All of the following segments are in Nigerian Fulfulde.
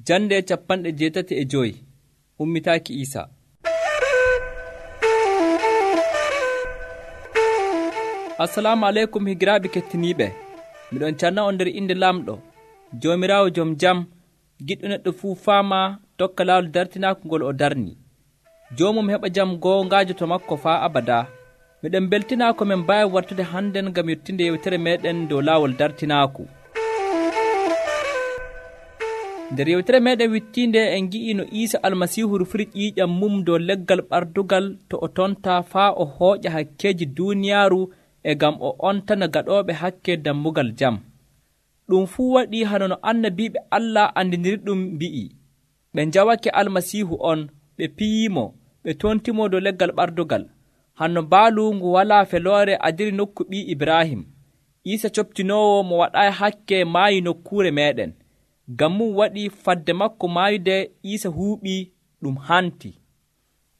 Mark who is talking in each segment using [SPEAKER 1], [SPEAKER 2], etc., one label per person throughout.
[SPEAKER 1] Jande 85 ummitaaki Iisa. Assalamu aleykum higiraaɓe kettiniiɓe. Miɗon canna on nder inde Lamɗo, Joomiraawo jom jam, giɗɗo neɗɗo fuu faama tokka laawol dartinaako ngol o darni. Joomum heɓa jam goongaajo to makko faa abadaa. Miɗen beltinaa ko men mbaawi wartude hannden ngam yettinde yewtere meeɗen dow laawol dartinaaku. Nder yewtere meeɗen wittiinde en ngi'i no Iisa Almasiihu rufiri ƴiiƴam mum dow leggal ɓardugal to o tontaa faa o hooƴa hakkeeji duuniyaaru e ngam o ontana gaɗooɓe hakke dammugal jam. Ɗum fuu waɗii hano no annabiiɓe Allah andiniri ɗum mbi'i. Ɓe njawake Almasiihu on, ɓe piyiimo, ɓe tontimo dow leggal ɓardugal. Hanno baalu ngu walaa feloore adiri nokku ɓii Ibrahim. Iisa coptinoowo mo waɗaayi hakke maayi nokkuure meeɗen. Ngam mum waɗi fadde makko maayude Iisa huuɓii ɗum hanti.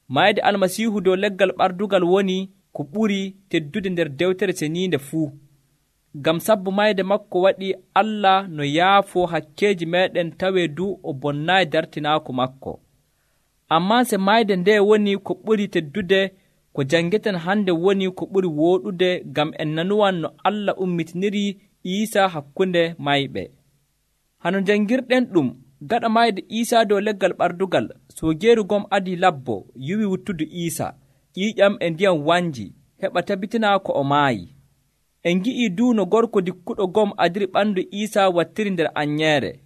[SPEAKER 1] Maayde Almasiihu dow leggal ɓardugal woni ko ɓuri teddude nder dewtere ceniinde fuu. Ngam sabbu mayde makko waɗi Allah no yaafoo hakkeeji meeɗen tawee du o bonnaayi dartinaako makko. Ammaa se mayde nde woni ko ɓuri teddude, ko janngeten hande woni ko ɓuri wooɗude ngam en nanuwan no Allah ummitiniri Iisa hakkunde mayɓe. Hano janngirɗen ɗum, gaɗa mayde Iisa dow leggal ɓardugal, soogeeru gom adii labbo yuwi wuttudu Iisa, ƴiiƴam e ndiyam wanji, heɓa tabitina ko o maayi. En ngi'ii du no gorko dikkuɗo gom adiri ɓandu Iisa wattiri nder anyeere.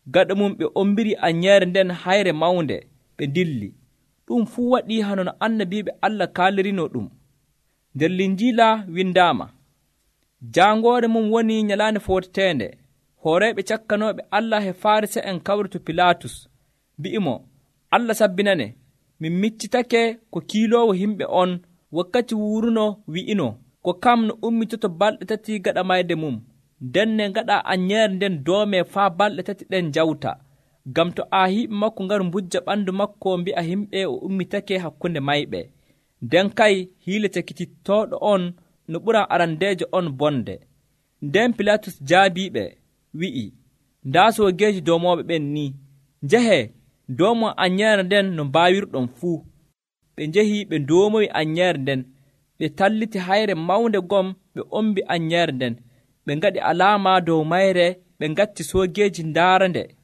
[SPEAKER 1] Gaɗa mum ɓe ombiri anyeere nden hayre mawnde, ɓe dilli. Ɗum fuu waɗii hano no annabiiɓe Allah kaalirino ɗum. Nder Linjiila windaama, jaangoore mum woni nyalaande footeteende, hooreeɓe cakkanooɓe Allah he Farisa'en kawri to Pilaatus, mbi'imo, Allah sabbinane, min miccitake ko kiiloowo himɓe on wakkati wuruno wi'ino, ko kam no ummitoto balɗe 3 gaɗa mayde mum, ndenne gaɗa anyeere nden doomee faa balɗe 3 ɗen jawta, ngam to aahiiɓe makko ngaru mbujja ɓandu makko mbi'a himɓe o ummitake hakkunde mayɓe. Nden kay hiile cakitittooɗo on no ɓuran arandeejo on bonde. Nden Pilaatus jaabiiɓe, wi'i, ndaa soogeeji doomooɓe ɓen ni, njahee doomo anyeere nden no mbaawirɗon fuu. Ɓe njehi ɓe doomoyi anyeere nden, ɓe talliti hayre mawnde gom, ɓe ombi anyeere nden, ɓe ngaɗi alaama dow mayre, ɓe ngatti soogeeji ndaarande.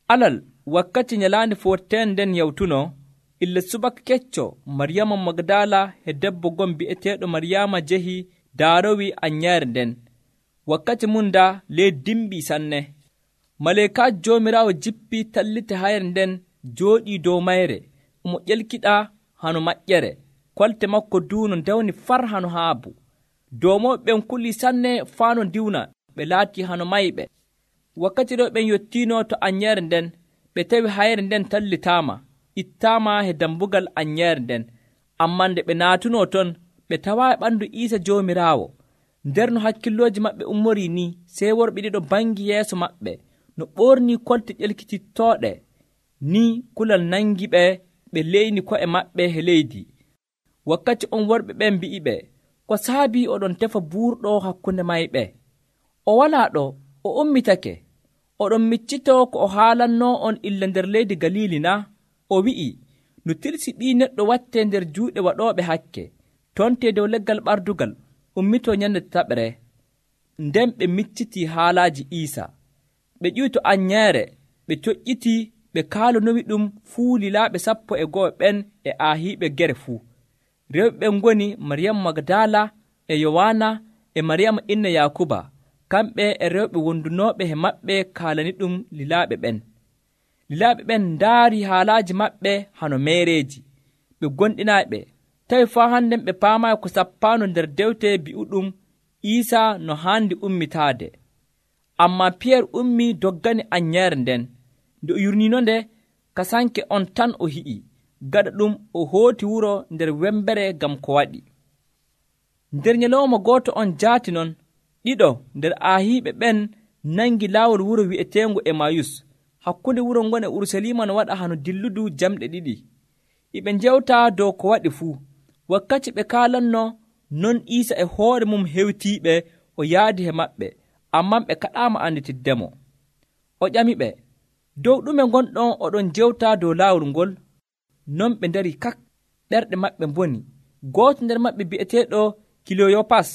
[SPEAKER 1] Alal wakkati nyalaande footeteende nden yawtuno, ille subaka kecco Maryama Magdala he debbo gom bi'eteeɗo Maryama jehi daarowi anyeere nden. Wakkati mum da ley dimbii sanne. Maleekaajo Joomiraawo jippii talliti hayre nden jooɗii dow mayre, omo ƴelkiɗa hano maƴƴere, kolte makko duuno ndewni far hano haabu. Doomooɓe ɓen kulii sanne faa no diwna, ɓe laatii hano mayɓe. Wakkati ɗo ɓen yottiino to anyeere nden, ɓe tawi hayre nden tallitaama, ittaama he dambugal anyeere nden. Ammaa nde ɓe naatunoo ton, ɓe tawaayi ɓandu Iisa Joomiraawo. Nder no hakkillooji maɓɓe ummorii ni, sey worɓe ɗiɗo bangi yeeso maɓɓe, no ɓoornii kolte ƴelkitittooɗe, ni kulal nangi ɓe, ɓe leyni ko'e maɓɓe he leydi. Wakkati on worɓe ɓen mbi'i ɓe, ko saabii oɗon tefa buurɗo hakkunde mayɓe? O walaa ɗo, o ummitake. Oɗon miccitoo ko o haalannoo on illa nder leydi Galiili na? O wi'i, no tirsi ɓii neɗɗo wattee nder juuɗe waɗooɓe hakke, tontee dow leggal ɓardugal, ummitoo nyande taɓre. Nden ɓe miccitii haalaaji Iisa. Ɓe ƴiwi to anyeere, ɓe coƴƴitii, ɓe kaalanowi ɗum fuu lilaaɓe 12 ɓen e aahiiɓe gere fuu. Rewɓe ɓen ngoni Maryama Magdala e Yowaana e Maryama inna Yaakuba, kamɓe e rewɓe wondunooɓe he maɓɓe kaalani ɗum lilaaɓe ɓen. Lilaaɓe ɓen ndaari haalaaji maɓɓe hano meereeji. Ɓe gonɗinaaɓe, tawi faa hannden ɓe paamaayi ko sappaano nder dewte bi'uɗum Iisa no haandi ummitaade. Ammaa Piyeer ummii doggani anyeere nden. Nde o yurniino nde, kasanke on tan o hi'i. Gaɗa ɗum o hooti wuro nder wembere ngam ko waɗi. Nder nyalawma gooto on jaati non, ɗiɗo nder aahiiɓe ɓen nangi laawol wuro wi'eteengo Emayus. Hakkunde wuro ngon e Urusalima no waɗa hano dilludu jamɗe 2. Iɓe njewtaa dow ko waɗi fuu. Wakkati ɓe kaalanno, non Iisa e hoore mum hewtiiɓe o yaadi he maɓɓe, ammaa ɓe kaɗaama anditiddemo. O ƴamiɓe, Dow ɗume gonɗon oɗon jewta dow laawol ngol? Non ɓe ndari kak, ɓerɗe maɓɓe mboni. Gooto nder maɓɓe bi'eteeɗo Kiloyopas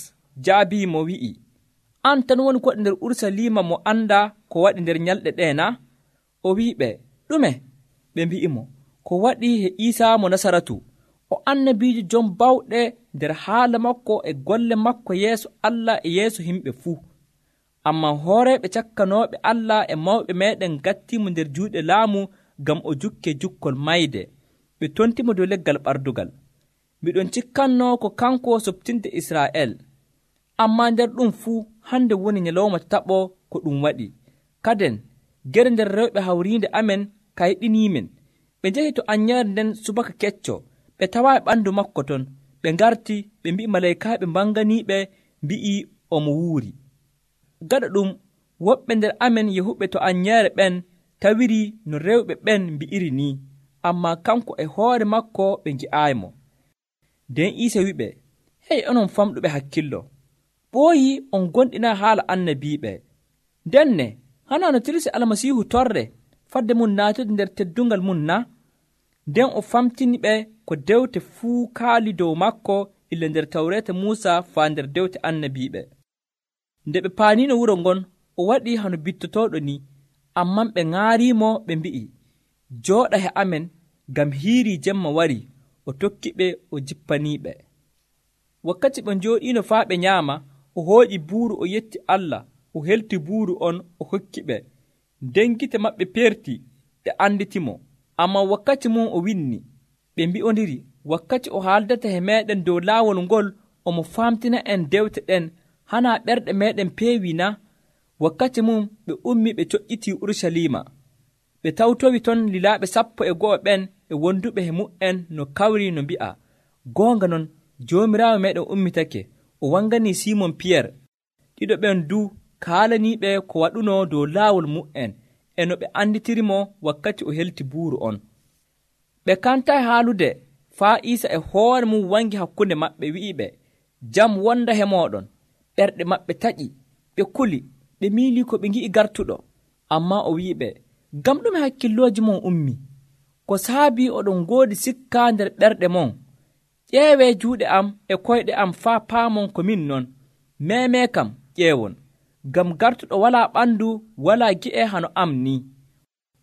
[SPEAKER 1] jaabiimo wi'i, an tan woni koɗo nder Urusalima mo anda ko waɗi nder nyalɗe ɗe na? O wi'iɓe, ɗume? Ɓe mbi'imo, ko waɗi he Iisa mo Nasaratu, o annabiijo jom bawɗe nder haala makko e golle makko yeeso Allah e yeeso himɓe fuu. Ammaa hooreeɓe cakkanooɓe Allah e mawɓe meeɗen gattimo nder juuɗe laamu ngam o jukke jukkol mayde. Ɓe tontimo dow leggal ɓardugal. Miɗon cikkannoo ko kanko soɓtinde Israa'el. Ammaa nder ɗum fuu hande woni nyalawma taɓo ko ɗum waɗi. Kaden gere nder rewɓe hawriinde amen kayɗiniimen. Ɓe njahi to annyere nden subaka kecco, ɓe tawaayi ɓandu makko ton. Ɓe ngarti ɓe mbi'i malaykaaɓe mbanganiiɓe mbi'i omo wuuri. Gaɗa ɗum woɓɓe nder amen yahuɓe to annyere ɓen tawiri no rewɓe ɓen mbi'iri ni, ammaa kanko e hoore makko ɓe ngi'aaymo. Nden Iisa wiɓe, hey onon famɗuɓe hakkillo, ɓooyi on gonɗinaa haala annabiiɓe. Ndenne hana no tirsi Almasiihu torre fadde mum naatude nder teddungal mum na? Nden o famtini ɓe ko dewte fuu kaali dow makko illa nder tawreeta Muusa faa nder dewte annabiiɓe. Nde ɓe paaniino wuro ngon, o waɗi hano bittotooɗo ni, amman ɓe ŋaariimo ɓe mbi'i, jooɗa he amen, ngam hiirii jemma wari. O tokki ɓe o jippaniiɓe. Wakkati ɓe njooɗiino faa ɓe nyaama, o hooƴi buuru o yetti Allah, o helti buuru on o hokki ɓe. Nden gite maɓɓe peerti, ɓe anditimo. Ammaa wakkati mum o winni, ɓe mbi'ondiri, wakkati o haaldata he meeɗen dow laawol ngol, omo faamtina en dewte ɗen, hanaa ɓerɗe meeɗen peewi na? Wakkati mum ɓe ummi ɓe coƴƴitii Urusalima. Ɓe tawtowi ton lilaaɓe 12 ɓen e wonduɓe he mu'en no kawri no mbi'a, goonga non Joomiraawo meeɗen ummitake, o wanganii Simon Piyerre. Ɗiɗo ɓen du kaalaniiɓe ko waɗuno dow laawol mu'en e no ɓe anditirimo wakkati o helti buuru on. Ɓe kantaayi haalude faa Iisa e hoore mum wangi hakkunde maɓɓe wi'iɓe, jam wonda he mooɗon. Ɓerɗe maɓɓe taƴi, ɓe kuli, ɓe miilii ko ɓe ngi'i gartuɗo. Ammaa o wi'iɓe, ngam ɗume hakkillooji mon ummi? Ko saabii oɗon ngoodi sikka nder ɓerɗe mon? ƴeewee juuɗe am e koyɗe am faa paamon ko min non. Meemee kam ƴeewon, ngam gartuɗo walaa ɓandu walaa gi'e hano am ni.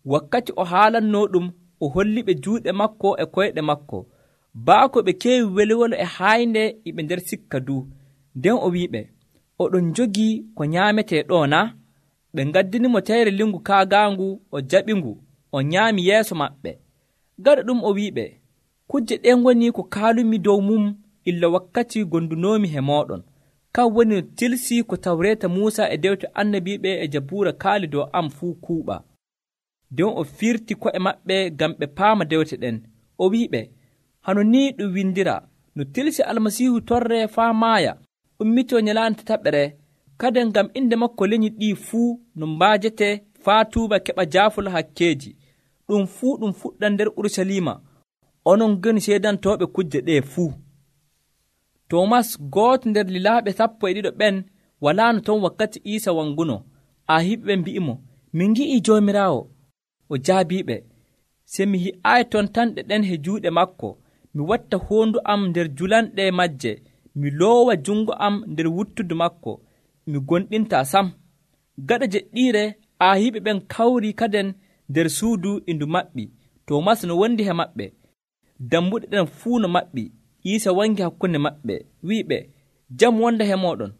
[SPEAKER 1] Wakkati o haalannoo ɗum, o holliɓe juuɗe makko e koyɗe makko. Baako ɓe keewi welwelo e haynde iɓe nder sikka du. Nden o wi'iɓe, oɗon jogii ko nyaametee ɗo na? Ɓe ngaddinimo teyre lingu kaagaangu, o jaɓingu, o nyaami yeeso maɓɓe. Gaɗa ɗum o wi'iɓe, kujje ɗen woni ko kaalumi dow mum illa wakkati gondunoomi he mooɗon. Kan woni no tilsi ko tawreeta Muusa e dewte annabiiɓe e jabuura kaali dow am fuu kuuɓa. Nden o firti ko'e maɓɓe ngam ɓe paama dewte ɗen. O wi'iɓe, hano ni ɗum windira, no tilsi Almasiihu torre faa maaya, ummitoo nyalaande tataɓere, kadi ngam inde makko leñi ɗii fuu no mbaajete faa tuuba keɓa jaafol hakkeeji. Ɗum fuu ɗum fuɗɗan nder Urusalima. Onon goni seedantooɓe kujje ɗee fuu. Toomas, gooto nder lilaaɓe 12 ɓen, walaano ton wakkati Iisa wanguno. Ahiiɓe mbi'imo, min ngi'ii Joomiraawo. O jaabiiɓe, se mi hi'aayi ton tanɗe ɗen he juuɗe makko, mi watta hoondu am nder julanɗe majje, mi loowa jungo am nder wuttudu makko, mi gonɗintaa sam. Gaɗa jeɗɗiire, ahiiɓe ɓen kawri kaden nder suudu indu maɓɓi. Toomas no wondi he maɓɓe. Dammuɗe ɗen fuu no maɓɓi. Iisa wangi hakkunde maɓɓe, wi'iɓe, jam wonda he mooɗon.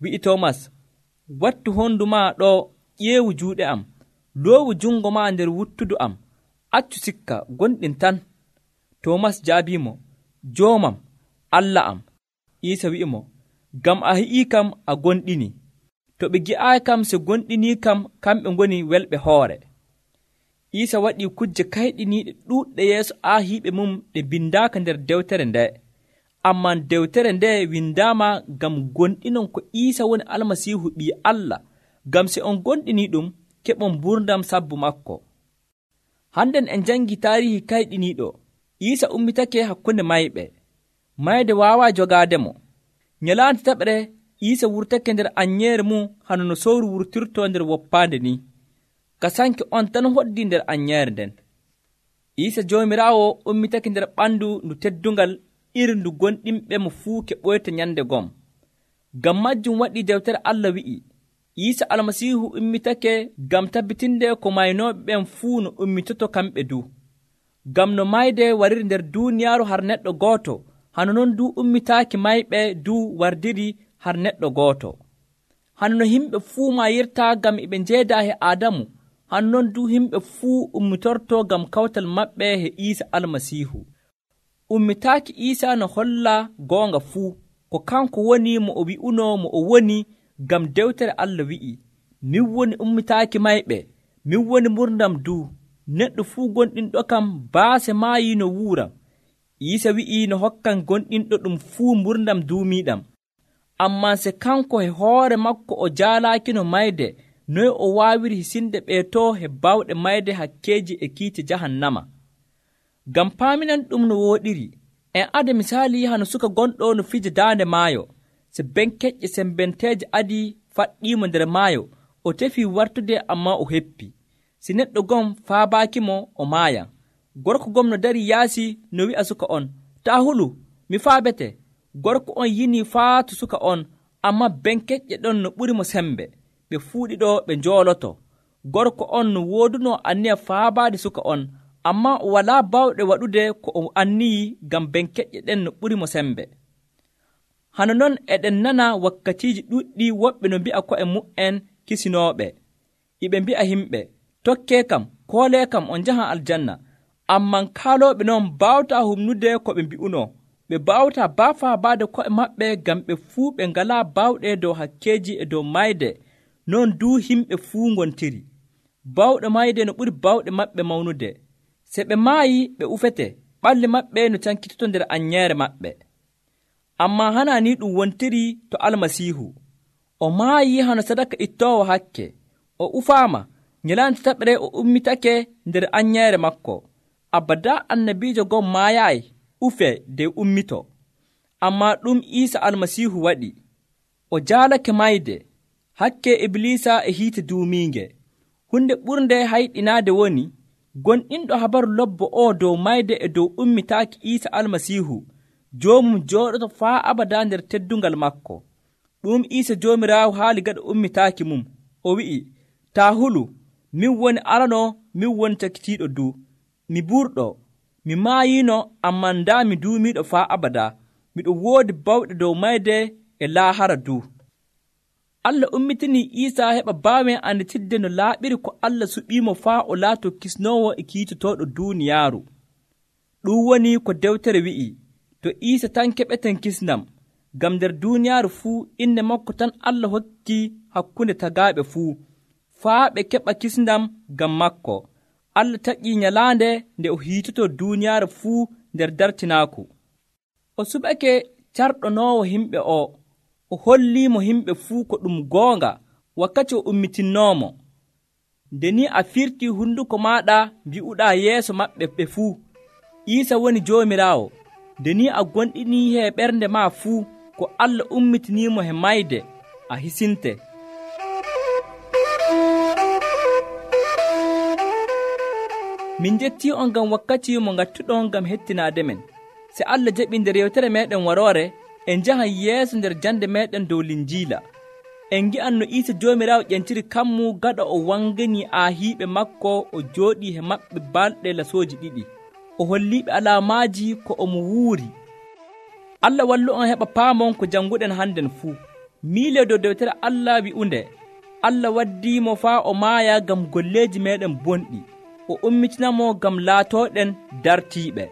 [SPEAKER 1] Wi'i Toomas, wattu hondu maa ɗo, ƴeewu juuɗe am, loowu jungo maa nder wuttudu am, accu sikka, gonɗin tan. Toomas jaabiimo, joomam, Allah am. Iisa wi'imo, ngam a hi'ii kam a gonɗini. To ɓe gi'aayi kam se gonɗinii kam, kamɓe ngoni welɓe hoore. Iisa waɗii kujje kayɗiniiɗe ɗuuɗɗe yeeso aahiiɓe mum ɗe bindaaka nder dewtere nde. Ammaa dewtere nde windaama ngam gonɗinon ko Iisa woni Almasiihu ɓii Allah, ngam se on gonɗinii ɗum, keɓon mburdam sabbu makko. Hannden en janngii taarihi kayɗiniiɗo. Iisa ummitake hakkunde mayɓe. Mayde waawaa jogaademo. Nyalaande taɓre, Iisa wurtake nder anyeere mum hano no sowru wurtirtoo nder woppaande ni. ka sanke on tan hoddi nder anyeere nden. Iisa Joomiraawo ummitake nder ɓandu ndu teddungal iri ndu gonɗinɓe mo fuu keɓoyta nyande gom. Ngam majjum waɗi dewtere Allah wi'i, Iisa Almasiihu ummitake ngam tabbitinde ko maynooɓe ɓen fuu no ummitoto kamɓe du. Ngam no mayde wariri nder duuniyaaru har neɗɗo gooto, hano non du ummitaaki mayɓe du wardiri har neɗɗo gooto. Hano no yimɓe fuu mayirta ngam eɓe njeedaa he Aadamu, hano non du yimɓe fuu ummitorto ngam kawtal maɓɓe he Iisa Almasiihu. Ummitaaki Iisa no holla goonga fuu, ko kanko woni mo o wi'uno mo o woni, ngam dewtere Allah wi'i, min woni ummitaaki mayɓe, min woni murdam du, neɗɗo fuu gonɗinɗo kam baase maayi no wuuram. Iisa wi'i no hokkan gonɗinɗo ɗum fuu murdam duumiiɗam. Ammaa se kanko he hoore makko o jaalaakino mayde, noy o waawiri hisinde ɓeetoo he bawɗe mayde hakkeeji e kiite jahannama. Ngam paaminan ɗum no wooɗiri, en ade misaali hano suka gonɗo no fija daande maayo. Se benkeƴƴe sembenteeje adii faɗɗiimo nder maayo, o tefii wartude ammaa o heppi. Si neɗɗo gom faabaakimo o maayan. Gorko gom no dari yaasi no wi'a suka on, taa hulu, mi faabete. Gorko on yinii faatu suka on, ammaa benkeƴƴe ɗon no ɓuri mo sembe. Ɓe fuu ɗiɗo ɓe njooloto. Gorko on no woodunoo anniya faabaade suka on, ammaa o walaa bawɗe waɗude ko o anniyi ngam benkeƴƴe ɗen no ɓuri mo sembe. Hano non eɗen nana wakkatiiji ɗuɗɗi woɓɓe no mbi'a ko'e mu'en kisinooɓe. Iɓe mbi'a himɓe, tokkee kam, koolee kam on njahan aljanna. Amman kaalooɓe non baawtaa humnude ko ɓe mbi'unoo. Ɓe baawtaa baafaabaade ko'e maɓɓe ngam ɓe fuu ɓe ngalaa baawɗe dow hakkeeji e dow mayde. Non duu himɓe fuu ngontiri. Bawɗe mayde no ɓuri bawɗe maɓɓe mawnude. Se ɓe maayi ɓe ufete, ɓalli maɓɓe no cankitoto nder anyeere maɓɓe. Ammaa hana ni ɗum wontiri to Almasiihu. O maayi hano sadaka ittoowo hakke. O ufaama, nyalaande tataɓre o ummitake nder anyeere makko. Abadaa annabiijo gom maayaayi, ufee de ummito. Ammaa ɗum Iisa Almasiihu waɗi. O jaalake mayde, hakke Ibliisa e hiite duumiinge. Hunde ɓurnde hayɗinaade woni, gonɗinɗo habaru lobbo o dow mayde e dow ummitaaki Iisa Almasiihu, joomum jooɗoto faa abadaa nder teddungal makko. Ɗum Iisa Joomiraawo haali gaɗa ummitaaki mum. O wi'i, taa hulu, min woni arano, min woni cakitiiɗo du. Mi ɓurɗo, mi maayiino, ammaa ndaa mi duumiiɗo faa abadaa. Miɗo woodi bawɗe dow mayde e laahara du. Allah ummitinii Iisa heɓa baawen anditirde no laaɓiri ko Allah suɓiimo faa o laato kisnoowo e kiitotooɗo duuniyaaru. Ɗum woni ko dewtere wi'i, to Iisa tan keɓeten kisndam, ngam nder duuniyaaru fuu inde makko tan Allah hokki hakkunde tagaaɓe fuu, faa ɓe keɓa kisndam ngam makko. Allah taƴii nyalaande nde o hiitoto duuniyaaru fuu nder dartinaaku. O suɓake carɗonoowo himɓe o holliimo himɓe fuu ko ɗum goonga wakkati o ummitinoomo. Nde ni a firtii hunduko maaɗa mbi'uɗaa yeeso maɓɓe ɓe fuu, Iisa woni Joomiraawo. Nde ni a gonɗinii he ɓernde maa fuu ko Allah ummitiniimo he mayde, a hisinte. Min jettii on ngam wakkati mo ngattuɗon ngam hettinaade men. Se Allah jaɓi nder yewtere meeɗen waroore, en njahan yeeso nder jande meeɗen dow Linjiila. En ngi'an no Iisa Joomiraawo ƴentiri kammu gaɗa o wanganii aahiiɓe makko o jooɗii he maɓɓe balɗe lasooji ɗiɗi. O holliiɓe alaamaaji ko omo wuuri. Allah wallu on heɓa paamon ko jannguɗen hannden fuu. Miile dow dewtere Allah wi'unde, Allah waddiimo faa o maaya ngam golleeji meeɗen bonɗi. O ummitinamo ngam laatooɗen dartiiɓe.